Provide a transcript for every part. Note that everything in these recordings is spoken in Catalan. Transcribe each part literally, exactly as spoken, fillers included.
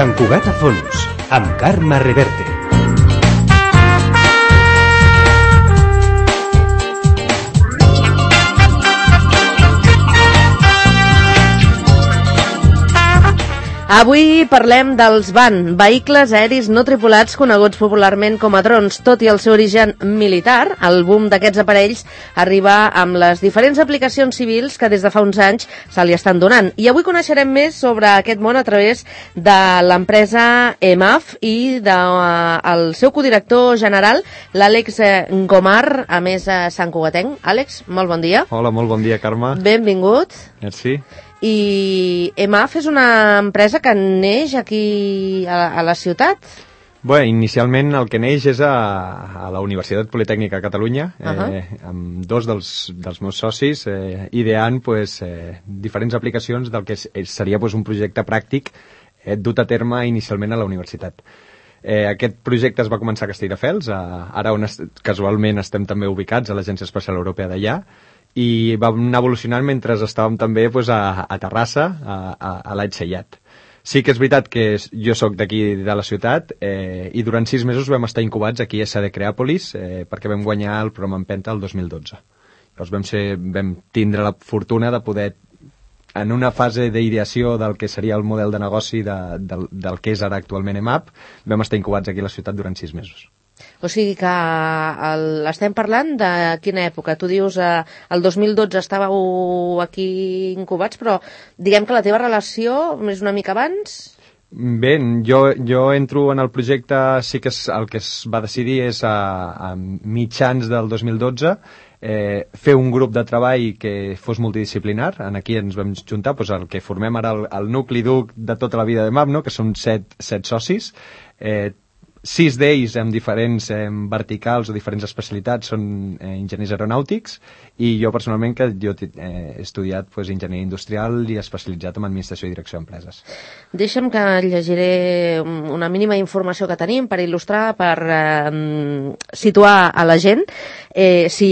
Sant Cugat a fons, amb Carme Reverte. Avui parlem dels V A N, vehicles aeris no tripulats coneguts popularment com a drons. Tot i el seu origen militar, el boom d'aquests aparells arriba amb les diferents aplicacions civils que des de fa uns anys se li estan donant. I avui coneixerem més sobre aquest món a través de l'empresa E M A F i del seu codirector general, l'Àlex Gomar, a més Sant Cugatenc. Àlex, molt bon dia. Hola, molt bon dia, Carme. Benvingut. Merci. I E M A F és una empresa que neix aquí a, a la ciutat? Bé, inicialment el que neix és a, a la Universitat Politècnica de Catalunya, uh-huh. eh, amb dos dels, dels meus socis, eh, ideant pues, eh, diferents aplicacions del que seria pues, un projecte pràctic eh, dut a terme inicialment a la universitat. Eh, aquest projecte es va començar a Castelldefels, a, ara on es, casualment estem també ubicats, a l'Agència Espacial Europea d'allà, i vam anar evolucionant mentre estàvem també pues, a, a Terrassa, a, a, a l'Aitsellat. Sí que és veritat que jo sóc d'aquí de la ciutat eh, i durant sis mesos vam estar incubats aquí a S D Creàpolis eh, perquè vam guanyar el programa Empenta el dos mil dotze. Llavors vam, ser, vam tindre la fortuna de poder, en una fase d'ideació del que seria el model de negoci de, del, del que és ara actualment E M A P, vam estar incubats aquí a la ciutat durant sis mesos. O sigui que el, estem parlant de quina època? Tu dius eh, el dos mil dotze estàveu aquí incubats, però diguem que la teva relació és una mica abans? Bé, jo, jo entro en el projecte, sí que és, el que es va decidir és a, a mitjans del dos mil dotze eh, fer un grup de treball que fos multidisciplinar. En aquí ens vam juntar doncs, el que formem ara el, el nucli dur de tota la vida de E M A P, no? Que són set, set socis. Eh, Sis d'ells amb diferents eh, verticals o diferents especialitats són eh, enginyers aeronàutics i jo personalment que jo eh, he estudiat pues, enginyeria industrial i especialitzat en administració i direcció d'empreses. Deixa'm que llegiré una mínima informació que tenim per il·lustrar, per eh, situar a la gent. Eh, si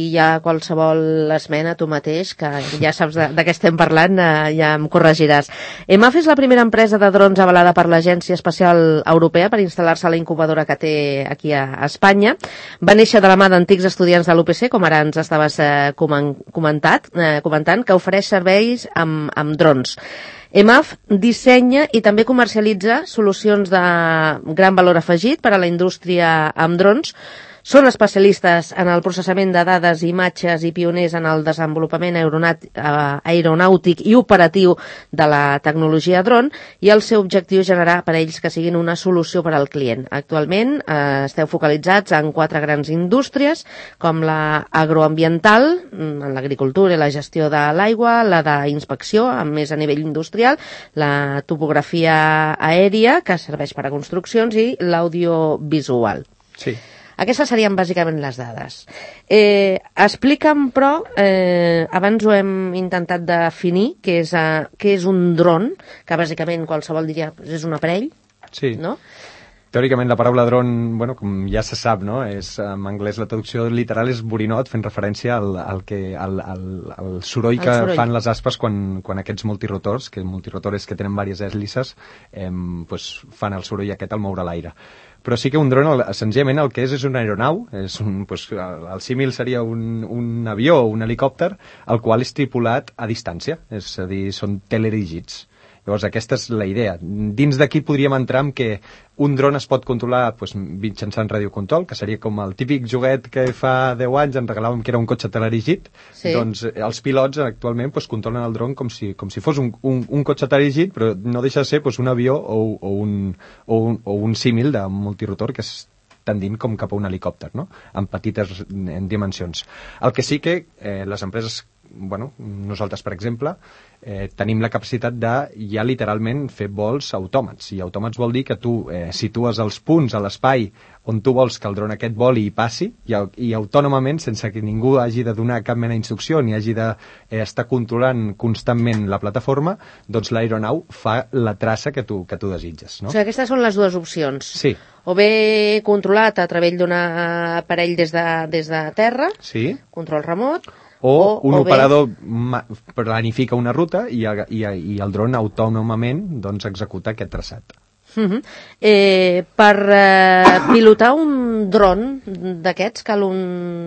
hi ha qualsevol esmena, tu mateix, que ja saps de, de què estem parlant, eh, ja em corregiràs. E M A F és la primera empresa de drons avalada per l'Agència Espacial Europea per instal·lar-se a la incubadora que té aquí a Espanya. Va néixer de la mà d'antics estudiants de l'U P C, com ara ens estaves eh, comentat, eh, comentant, que ofereix serveis amb, amb drons. E M A F dissenya i també comercialitza solucions de gran valor afegit per a la indústria amb drons. Són especialistes en el processament de dades i imatges i pioners en el desenvolupament aeronàutic i operatiu de la tecnologia dron, i el seu objectiu és generar aparells que siguin una solució per al client. Actualment eh, esteu focalitzats en quatre grans indústries, com la agroambiental, en l'agricultura i la gestió de l'aigua, la d'inspecció, més a nivell industrial, la topografia aèria, que serveix per a construccions, i l'audiovisual. Sí. Aquestes serien bàsicament les dades. Eh, explica'm, però, eh, abans ho hem intentat definir, què és, uh, què és un dron, que bàsicament qualsevol diria és un aparell, sí. No? Teòricament la paraula dron, bueno, com ja se sap, no? És, en anglès la traducció literal és borinot, fent referència al, al, que, al, al, al soroll que soroll. fan les aspes quan, quan aquests multirotors, que multirotors que tenen diverses hèlices, eh, pues, fan el soroll aquest al moure l'aire. Però sí que un dron, senzillament, el que és és una aeronau, és un, pues, el, el símil seria un, un avió o un helicòpter, el qual és tripulat a distància, és a dir, són teledirigits. Llavors, aquesta és la idea. Dins d'aquí podríem entrar en que un dron es pot controlar pues, mitjançant radiocontrol, que seria com el típic joguet que fa deu anys en regalàvem que era un cotxe teledirigit. Sí. Doncs els pilots actualment pues, controlen el dron com si, com si fos un, un, un cotxe teledirigit, però no deixa de ser pues, un avió o, o, un, o, un, o un símil de multirotor que és tendint com cap a un helicòpter, no? En petites en dimensions. El que sí que eh, les empreses, bueno, nosaltres, per exemple, eh, tenim la capacitat de ja literalment fer vols autòmats. I autòmats vol dir que tu eh, situes els punts a l'espai on tu vols que el dron aquest voli i passi, i, i autònomament, sense que ningú hagi de donar cap mena d'instrucció ni hagi d'estar eh, controlant constantment la plataforma, doncs l'aeronau fa la traça que tu, que tu desitges. No? O sigui, aquestes són les dues opcions. Sí. O bé controlat a través d'un aparell des de, des de terra, sí. Control remot, o, o un o operador bé... planifica una ruta i, i, i el dron autònomament doncs, executa aquest traçat. Uh-huh. Eh, per eh, pilotar un dron d'aquests cal un,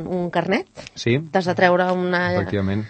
un carnet? Sí. T'has de treure una... Efectivament.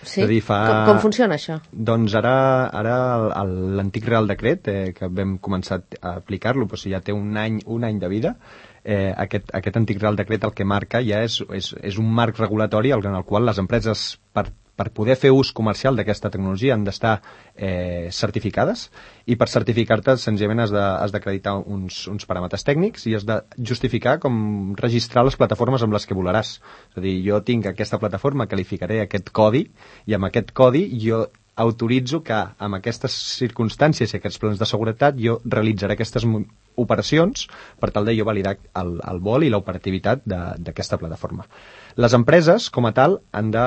Sí? És a dir, fa... com, com funciona això? Doncs ara, ara l'antic Real Decret, eh, que vam començar a aplicar-lo, però si ja té un any, un any de vida, eh, aquest, aquest antic Real Decret el que marca ja és, és, és un marc regulatori en el qual les empreses, per per poder fer ús comercial d'aquesta tecnologia han d'estar eh, certificades, i per certificar-te senzillament has de, has d'acreditar uns, uns paràmetres tècnics i has de justificar com registrar les plataformes amb les que volaràs. És a dir, jo tinc aquesta plataforma, qualificaré aquest codi, i amb aquest codi jo autoritzo que amb aquestes circumstàncies i aquests plans de seguretat jo realitzaré aquestes operacions per tal de jo validar el, el vol i l'operativitat d'aquesta plataforma. Les empreses, com a tal, han de,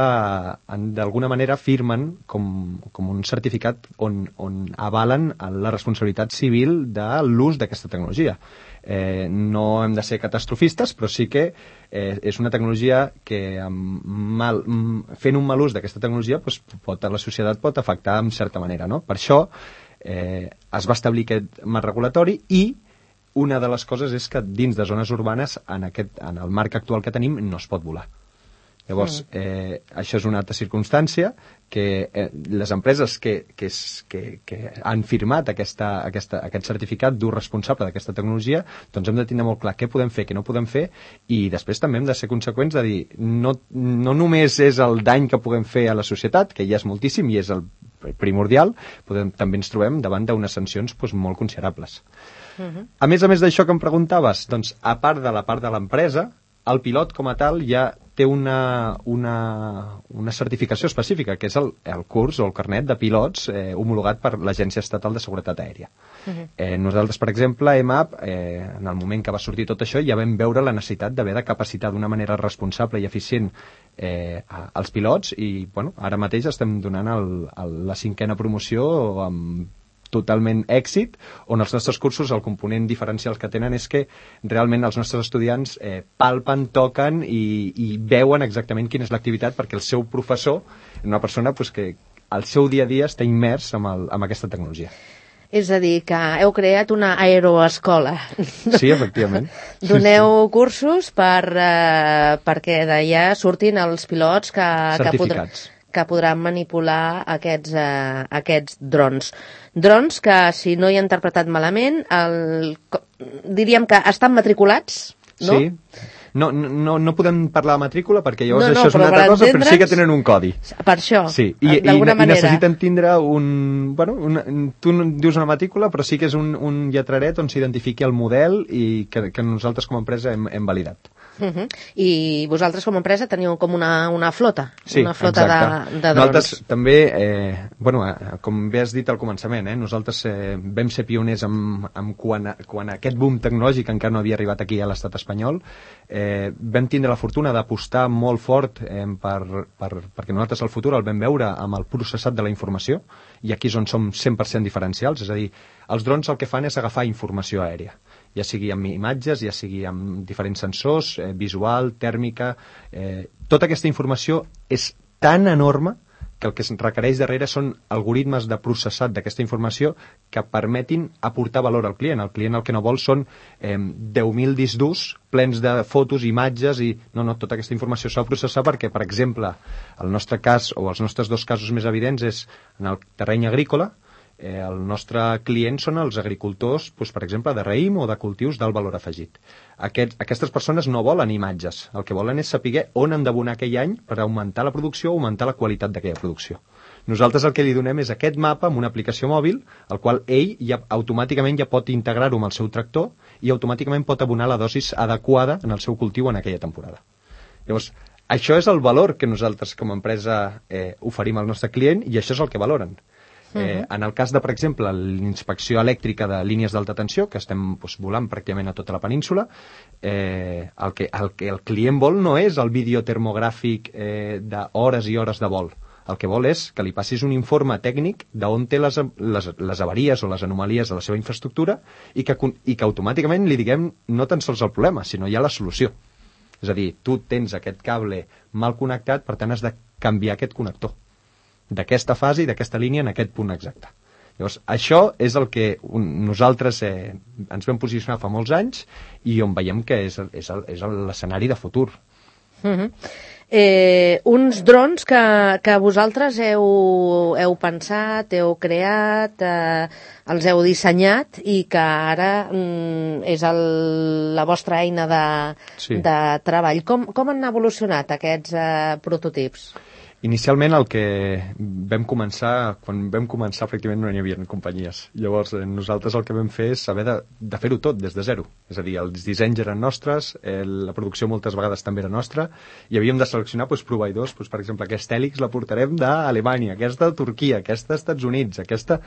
han d'alguna manera firmen com, com un certificat on, on avalen la responsabilitat civil de l'ús d'aquesta tecnologia. Eh, no hem de ser catastrofistes, però sí que eh, és una tecnologia que amb mal, fent un mal ús d'aquesta tecnologia doncs, pot, a la societat pot afectar en certa manera, no? Per això eh, es va establir aquest marc regulatori, i una de les coses és que dins de zones urbanes, en, aquest, en el marc actual que tenim, no es pot volar. Llavors, eh, això és una altra circumstància que eh, les empreses que, que, és, que, que han firmat aquesta, aquesta, aquest certificat d'ús responsable d'aquesta tecnologia, doncs hem de tenir molt clar què podem fer, què no podem fer, i després també hem de ser conseqüents de dir, no, no només és el dany que puguem fer a la societat, que ja és moltíssim i és el primordial, podem, també ens trobem davant d'unes sancions doncs, molt considerables. Uh-huh. A més a més d'això que em preguntaves, doncs, a part de la part de l'empresa, el pilot com a tal ja té una, una, una certificació específica, que és el, el curs o el carnet de pilots eh, homologat per l'Agència Estatal de Seguretat Aèria. Uh-huh. eh, nosaltres, per exemple, a E M A P, eh, en el moment que va sortir tot això, ja vam veure la necessitat d'haver de capacitar d'una manera responsable i eficient eh, als pilots, i bueno, ara mateix estem donant el, el, la cinquena promoció amb totalment èxit, on els nostres cursos, el component diferencial que tenen és que realment els nostres estudiants eh, palpen, toquen i, i veuen exactament quina és l'activitat, perquè el seu professor és una persona pues, que al seu dia a dia està immers amb, el, amb aquesta tecnologia. És a dir, que heu creat una aeroescola. Sí, efectivament. Doneu cursos per, eh, perquè d'allà surtin els pilots que, que, podrà, que podran manipular aquests, eh, aquests drons. Drons que, si no hi he interpretat malament, el, diríem que estan matriculats, no? Sí. No, no, no podem parlar de matrícula perquè llavors no, no, això és una altra cosa, però sí que tenen un codi. Per això, sí. I, d'alguna i, manera. I necessiten tindre un... Bueno, una, tu dius una matrícula, però sí que és un, un lletraret on s'identifiqui el model i que, que nosaltres com a empresa hem, hem validat. Uh-huh. I vosaltres com a empresa teniu com una, una flota, sí, una flota de, de drons. Nosaltres també, eh, bueno, com bé has dit al començament, eh, nosaltres eh, vam ser pioners amb, amb quan, quan aquest boom tecnològic encara no havia arribat aquí a l'estat espanyol. Eh, vam tindre la fortuna d'apostar molt fort eh, per, per, perquè nosaltres el futur el vam veure amb el processat de la informació, i aquí és on som cent per cent diferencials, és a dir, els drons el que fan és agafar informació aèria, ja sigui amb imatges, ja sigui amb diferents sensors, eh, visual, tèrmica, eh, tota aquesta informació és tan enorme que el que es requereix darrere són algoritmes de processat d'aquesta informació que permetin aportar valor al client. El client el que no vol són eh, deu mil discs durs plens de fotos, imatges, i no, no, tota aquesta informació s'ha de processar perquè, per exemple, el nostre cas, o els nostres dos casos més evidents, és en el terreny agrícola. Eh, el nostre client són els agricultors, doncs, per exemple, de raïm o de cultius d'alt valor afegit. Aquest, aquestes persones no volen imatges, el que volen és saber on han d'abonar aquell any per augmentar la producció o augmentar la qualitat d'aquella producció. Nosaltres el que li donem és aquest mapa amb una aplicació mòbil, el qual ell ja, automàticament ja pot integrar-ho amb el seu tractor i automàticament pot abonar la dosis adequada en el seu cultiu en aquella temporada. Llavors, això és el valor que nosaltres com a empresa eh, oferim al nostre client, i això és el que valoren. Eh, en el cas de, per exemple, l'inspecció elèctrica de línies d'alta tensió, que estem doncs, volant pràcticament a tota la península, eh, el, que, el que el client vol no és el vídeo termogràfic eh, d'hores i hores de vol. El que vol és que li passis un informe tècnic d'on té les, les, les avaries o les anomalies de la seva infraestructura, i que, i que automàticament li diguem no tan sols el problema, sinó ja la solució. És a dir, tu tens aquest cable mal connectat, per tant has de canviar aquest connector d'aquesta fase i d'aquesta línia en aquest punt exacte. Llavors, això és el que nosaltres eh, ens vam posicionar fa molts anys i on veiem que és, és, és l'escenari de futur. Mm-hmm. Eh, uns drons que, que vosaltres heu, heu pensat, heu creat, eh, els heu dissenyat i que ara mm, és el, la vostra eina de, sí. de treball. Com, com han evolucionat aquests eh, prototips? Inicialment el que vam començar, quan vam començar pràcticament no n'hi havia companyies. Llavors eh, nosaltres el que vam fer és haver de, de fer-ho tot des de zero. És a dir, els dissenys eren nostres, eh, la producció moltes vegades també era nostra, i havíem de seleccionar doncs, proveïdors, doncs, per exemple, aquesta hèlix la portarem d'Alemanya, aquesta de Turquia, aquesta dels Estats Units, aquesta...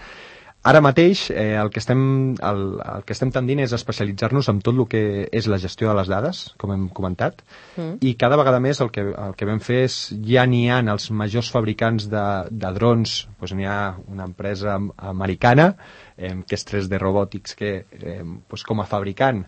Ara mateix eh, el, que estem, el, el que estem tendint és especialitzar-nos en tot el que és la gestió de les dades, com hem comentat, mm. i cada vegada més el que, el que vam fer és, ja n'hi ha els majors fabricants de, de drons, doncs n'hi ha una empresa americana, eh, que és tres D Robotics, que eh, doncs com a fabricant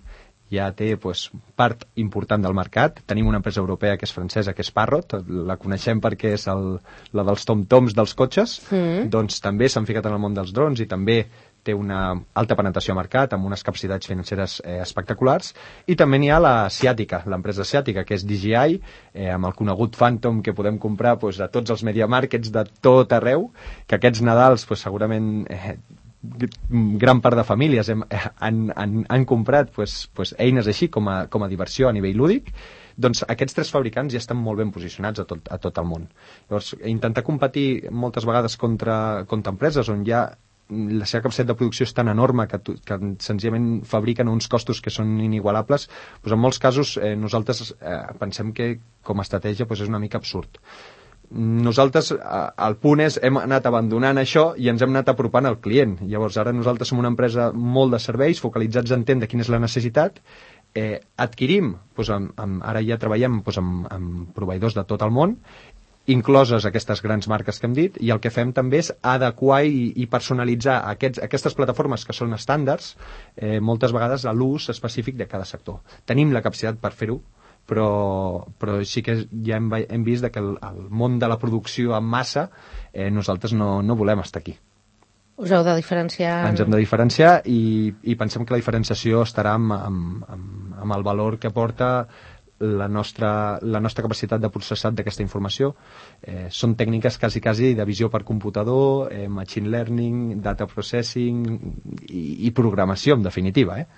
ja té doncs, part important del mercat. Tenim una empresa europea que és francesa, que és Parrot, la coneixem perquè és el, la dels tom-toms dels cotxes, mm. doncs també s'han ficat en el món dels drons i també té una alta penetració a mercat, amb unes capacitats financeres eh, espectaculars, i també n'hi ha l'asiàtica, l'empresa asiàtica, que és D J I, eh, amb el conegut Phantom que podem comprar doncs, a tots els media markets de tot arreu, que aquests Nadals doncs, segurament... Eh, gran part de famílies hem, han, han, han comprat pues, pues, eines així com a, com a diversió a nivell lúdic, doncs aquests tres fabricants ja estan molt ben posicionats a tot, a tot el món. Llavors, intentar competir moltes vegades contra, contra empreses on ja la seva capacitat de producció és tan enorme que, que senzillament fabriquen uns costos que són inigualables, doncs en molts casos eh, nosaltres eh, pensem que com a estratègia doncs és una mica absurd. Nosaltres, el punt és, hem anat abandonant això i ens hem anat apropant al client. Llavors, ara nosaltres som una empresa molt de serveis, focalitzats a entendre quina és la necessitat, eh, adquirim, doncs, amb, amb, ara ja treballem doncs, amb, amb proveïdors de tot el món, incloses aquestes grans marques que hem dit, i el que fem també és adequar i, i personalitzar aquests, aquestes plataformes que són estàndards, eh, moltes vegades a l'ús específic de cada sector. Tenim la capacitat per fer-ho, però, però sí que ja hem, hem vist que el, el món de la producció en massa eh, nosaltres no, no volem estar aquí. Us heu de diferenciar... Ens hem de diferenciar i, i pensem que la diferenciació estarà amb, amb, amb, amb el valor que porta la nostra, la nostra capacitat de processat d'aquesta informació. Eh, són tècniques quasi, quasi de visió per computador, eh, machine learning, data processing i, i programació, en definitiva. Eh?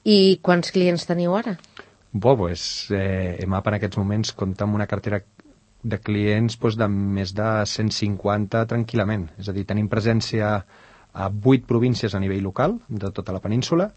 I quants clients teniu ara? Bo, pues, eh, EMAP en aquests moments compta amb una cartera de clients pues, de més de cent cinquanta tranquil·lament. És a dir, tenim presència a vuit províncies a nivell local de tota la península,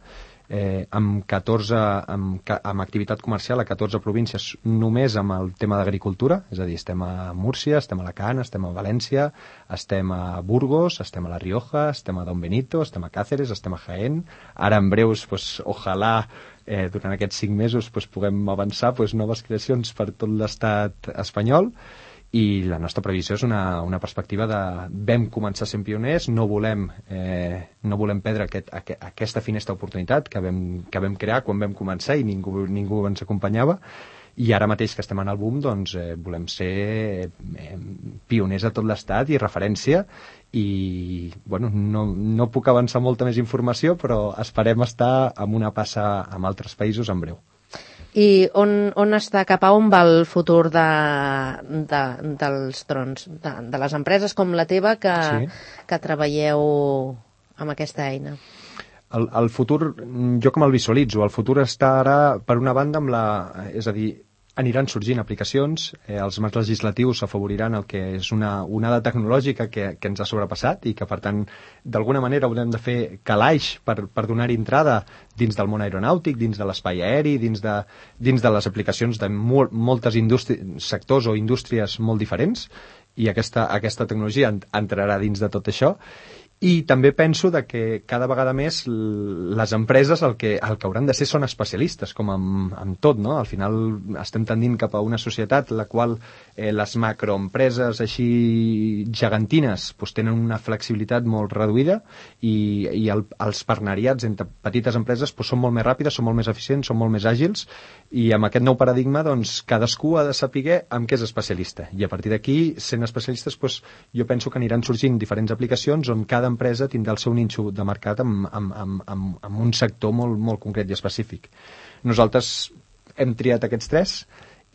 eh, amb catorze amb, amb activitat comercial a catorze províncies només amb el tema d'agricultura, és a dir, estem a Múrcia, estem a Alacant, estem a València, estem a Burgos, estem a La Rioja, estem a Don Benito, estem a Cáceres, estem a Jaén. Ara en breus, pues, ojalà eh, durant aquests cinc mesos pues, puguem avançar pues, noves creacions per tot l'estat espanyol, i la nostra previsió és una, una perspectiva de vam començar sent pioners, no volem, eh, no volem perdre aquest, aqu aquesta finestra d'oportunitat que, vam, que vam crear quan vam començar i ningú, ningú ens acompanyava, i ara mateix que estem en el boom doncs, eh, volem ser eh, pioners a tot l'estat i referència, i bueno, no, no puc avançar molta més informació, però esperem estar amb una passa amb altres països en breu. I on, on està, cap a on va el futur de, de, dels drons, de, de les empreses com la teva que, sí. que treballeu amb aquesta eina? El, el futur, jo com el visualitzo, el futur està ara, per una banda, amb la, és a dir, aniran sorgint aplicacions, eh, els marcs legislatius afavoriran el que és una onada tecnològica que, que ens ha sobrepassat i que, per tant, d'alguna manera haurem de fer calaix per, per donar-hi entrada dins del món aeronàutic, dins de l'espai aeri, dins de, dins de les aplicacions de mol, moltes sectors o indústries molt diferents, i aquesta, aquesta tecnologia entrarà dins de tot això. I també penso de que cada vegada més les empreses el que, el que hauran de ser són especialistes, com amb, amb tot, no? Al final estem tendint cap a una societat en la qual eh, les macroempreses així gegantines pues, tenen una flexibilitat molt reduïda i, i el, els partenariats entre petites empreses pues, són molt més ràpides, són molt més eficients, són molt més àgils, i amb aquest nou paradigma doncs, cadascú ha de saber amb què és especialista, i a partir d'aquí, sent especialistes, pues, jo penso que aniran sorgint diferents aplicacions on cada cada empresa tindrà el seu nínxol de mercat amb, amb, amb, amb, amb un sector molt, molt concret i específic. Nosaltres hem triat aquests tres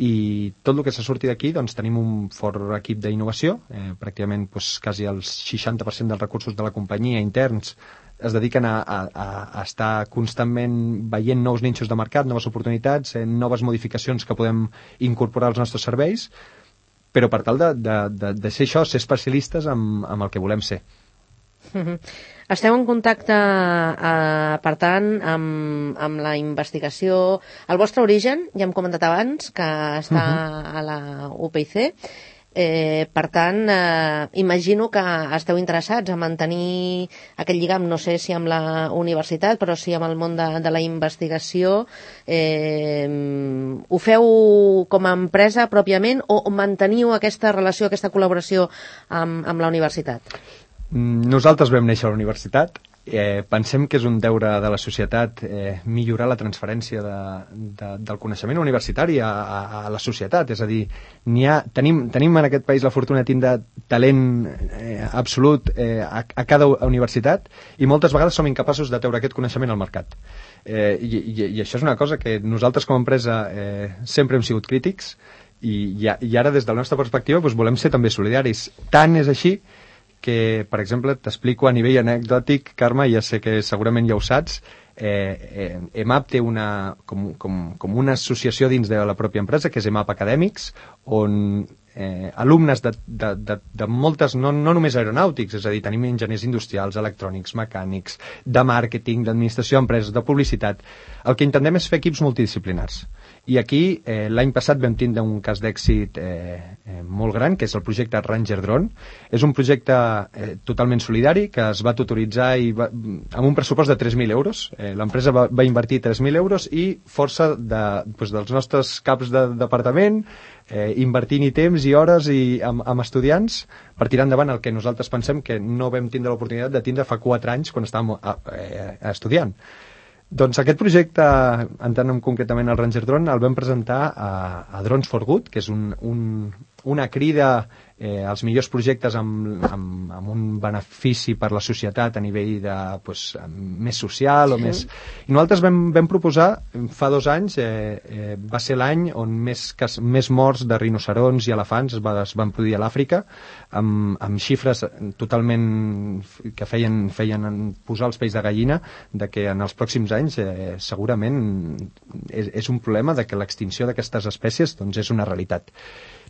i tot el que se surti d'aquí doncs, tenim un fort equip d'innovació, eh, pràcticament doncs, quasi el seixanta per cent dels recursos de la companyia interns es dediquen a, a, a estar constantment veient nous nínxols de mercat, noves oportunitats, eh, noves modificacions que podem incorporar als nostres serveis, però per tal de, de, de, de ser això, ser especialistes amb, amb el que volem ser. Mm-hmm. Esteu en contacte, eh, per tant, amb, amb la investigació. El vostre origen, ja hem comentat abans, que està uh-huh. a la U P I C. Eh, per tant, eh, imagino que esteu interessats a mantenir aquest lligam, no sé si amb la universitat, però sí amb el món de, de la investigació. Eh, ho feu com a empresa pròpiament o manteniu aquesta relació, aquesta col·laboració amb, amb la universitat? Nosaltres vam néixer a la universitat. Eh, pensem que és un deure de la societat eh, millorar la transferència de, de, del coneixement universitari a, a, a la societat, és a dir, n'hi ha, tenim, tenim en aquest país la fortuna de tindre talent eh, absolut eh, a, a cada universitat i moltes vegades som incapaços de treure aquest coneixement al mercat. Eh, i, i, I això és una cosa que nosaltres com a empresa eh, sempre hem sigut crítics i, i, i ara des de la nostra perspectiva doncs, volem ser també solidaris. Tant és així que, per exemple, t'explico a nivell anècdòtic, Carme, ja sé que segurament ja ho saps, eh, eh, E M A P té una, com, com, com una associació dins de la pròpia empresa, que és E M A P Acadèmics, on eh, alumnes de, de, de, de moltes, no, no només aeronàutics, és a dir, tenim enginyers industrials, electrònics, mecànics, de màrqueting, d'administració d'empreses, de publicitat. El que intentem és fer equips multidisciplinars. I aquí, eh, l'any passat vam tindre un cas d'èxit eh, eh, molt gran, que és el projecte Ranger Drone. És un projecte eh, totalment solidari, que es va tutoritzar i va, amb un pressupost de tres mil euros. Eh, l'empresa va, va invertir tres mil euros i força de, doncs, dels nostres caps de departament, eh, invertint-hi temps i hores i amb, amb estudiants per tirar endavant el que nosaltres pensem que no vam tindre l'oportunitat de tindre fa quatre anys quan estàvem a, a, a estudiant. Doncs aquest projecte, entrant concretament al Ranger Drone, el vam presentar a, a Drones for Good, que és un, un, una crida eh, als millors projectes amb, amb, amb un benefici per la societat a nivell de, pues, més social o sí. més... I nosaltres vam, vam proposar, fa dos anys, eh, eh, va ser l'any on més, cas, més morts de rinocerons i elefants es, va, es van produir a l'Àfrica, amb, amb xifres totalment que feien, feien posar els pells de gallina, de que en els pròxims anys eh, segurament és, és un problema de que l'extinció d'aquestes espècies doncs, és una realitat.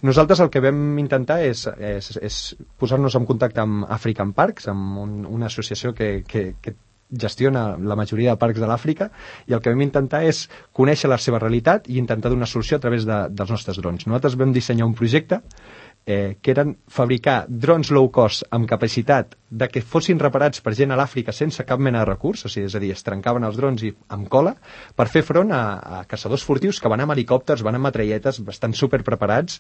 Nosaltres el que vam intentar és, és, és posar-nos en contacte amb African Parks, amb un, una associació que, que, que gestiona la majoria de parcs de l'Àfrica, i el que vam intentar és conèixer la seva realitat i intentar donar solució a través de, dels nostres drons. Nosaltres vam dissenyar un projecte eh, que eren fabricar drons low cost amb capacitat de que fossin reparats per gent a l'Àfrica sense cap mena de recurs, o sigui, és a dir, es trencaven els drons i amb cola, per fer front a, a caçadors furtius que van amb helicòpters, van amb metralletes, estan super preparats,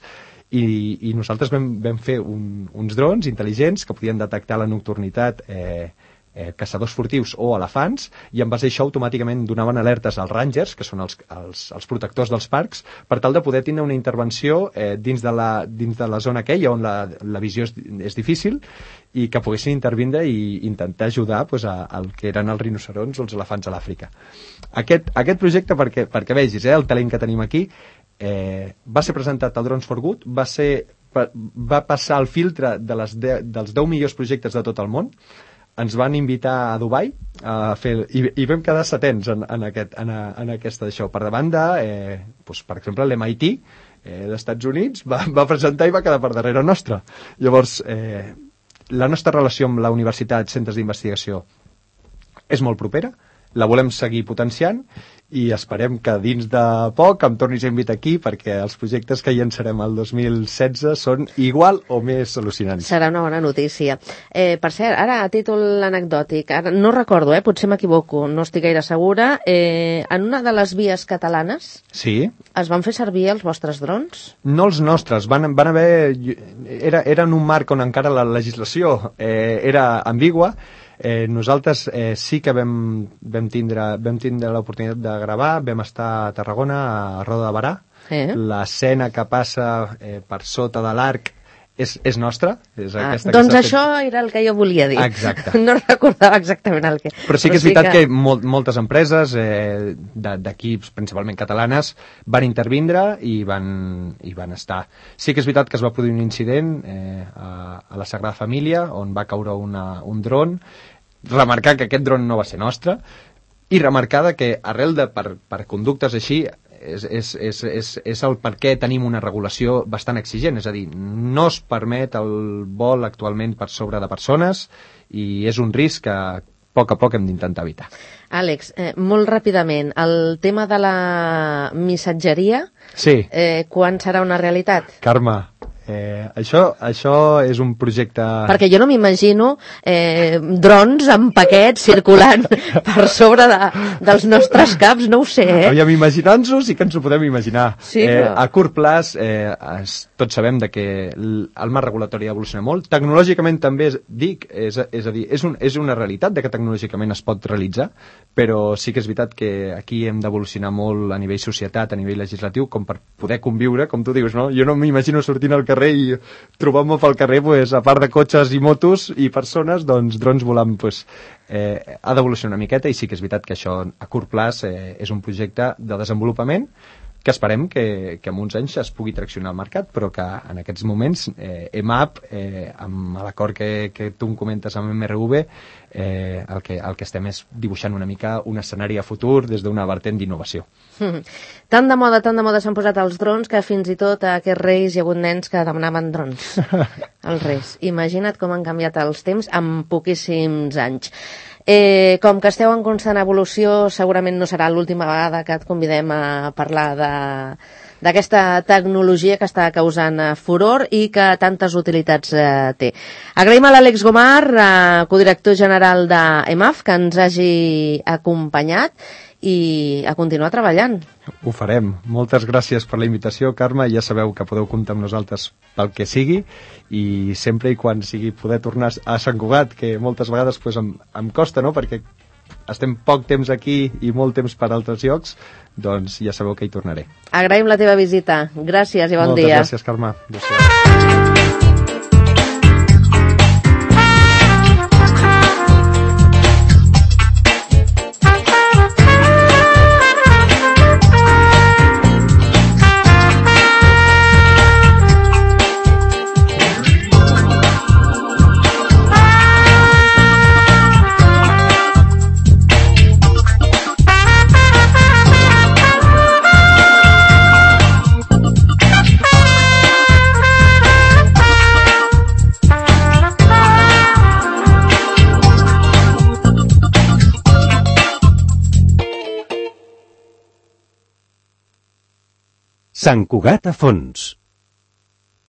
i, i nosaltres vam, vam fer un, uns drons intel·ligents que podien detectar la nocturnitat eh, eh, caçadors furtius o elefants, i en base a això automàticament donaven alertes als rangers, que són els, els, els protectors dels parcs, per tal de poder tindre una intervenció eh, dins, de la, dins de la zona aquella on la, la visió és, és difícil, i que poguessin intervindre i intentar ajudar pues, a, al que eren els rinocerons o els elefants a l'Àfrica. Aquest, aquest projecte, perquè, perquè vegis eh, el talent que tenim aquí, eh, va ser presentat al Drones for Good, va, ser, va passar el filtre de les de, dels deu millors projectes de tot el món. Ens van invitar a Dubai a fer, i, i vam quedar setens en, en, aquest, en, en aquesta això. Per davant de, eh, doncs, per exemple, l'M I T eh, dels Estats Units va, va presentar i va quedar per darrere nostra. Llavors, eh, la nostra relació amb la universitat, centres d'investigació, és molt propera, la volem seguir potenciant i esperem que dins de poc em tornis a invitar aquí perquè els projectes que llançarem el dos mil setze són igual o més al·lucinants. Serà una bona notícia. Eh, per cert, ara a títol anecdòtic, ara no recordo, eh, potser m'equivoco, no estic gaire segura, eh, en una de les vies catalanes sí. Es van fer servir els vostres drons? No els nostres, van, van haver... Era, era en un marc on encara la legislació eh, era ambigua. Eh, nosaltres eh, sí que vam, vam tindre, vam tindre l'oportunitat de gravar, vam estar a Tarragona, a Roda de Barà. Eh? L'escena que passa eh, per sota de l'arc és, és nostra. És ah, aquesta doncs que això fet... era el que jo volia dir. Exacte. No recordava exactament el que... Però sí que és veritat sí que, que molt, moltes empreses eh, d'equips, principalment catalanes, van intervindre i van, i van estar. Sí que és veritat que es va produir un incident eh, a, a la Sagrada Família, on va caure una, un dron, remarcar que aquest dron no va ser nostre, i remarcar que arrel de per, per conductes així és, és, és, és, és el per què tenim una regulació bastant exigent, és a dir, no es permet el vol actualment per sobre de persones i és un risc que a poc a poc hem d'intentar evitar. Àlex, eh, molt ràpidament, el tema de la missatgeria, sí. eh, quan serà una realitat? Carme, Eh, això, això és un projecte... Perquè jo no m'imagino eh, drons amb paquets circulant per sobre de, dels nostres caps, no ho sé, eh? Aviam, imaginant-nos sí que ens ho podem imaginar. Sí, però... eh, a curt plaç, eh, es, tots sabem de que el marc regulatori evoluciona molt. Tecnològicament també és, dic, és, és a dir, és, un, és una realitat de que tecnològicament es pot realitzar, però sí que és veritat que aquí hem d'evolucionar molt a nivell societat, a nivell legislatiu, com per poder conviure, com tu dius, no? Jo no m'imagino sortint al carrer i trobant-me pel carrer, pues, a part de cotxes i motos i persones, doncs drons volant, pues, eh, ha d'evolucionar una miqueta i sí que és veritat que això a curt plaç eh, és un projecte de desenvolupament que esperem que, que en uns anys es pugui traccionar al mercat, però que en aquests moments eh, E M A P, eh, amb l'acord que, que tu em comentes amb M R V, eh, el, que, el que estem és dibuixant una mica un escenari a futur des d'una vertent d'innovació. Mm. Tant de moda, tant de moda s'han posat els drons que fins i tot a aquests reis hi ha hagut nens que demanaven drons. Els reis. Imagina't com han canviat els temps en poquíssims anys. Eh, com que esteu en constant evolució, segurament no serà l'última vegada que et convidem a parlar de d'aquesta tecnologia que està causant eh, furor i que tantes utilitats eh, té. Agraïm a l'Àlex Gomar, eh, codirector general de E M A F, que ens hagi acompanyat i a continuar treballant. Ho farem. Moltes gràcies per la invitació, Carme. Ja sabeu que podeu comptar amb nosaltres pel que sigui i sempre i quan sigui poder tornar a Sant Cugat, que moltes vegades pues, em, em costa, no?, perquè estem poc temps aquí i molt temps per altres llocs, doncs ja sabeu que hi tornaré. Agraïm la teva visita. Gràcies i bon Moltes dia. Moltes gràcies, Carme. Adéu-siau. Sant Cugat a fons.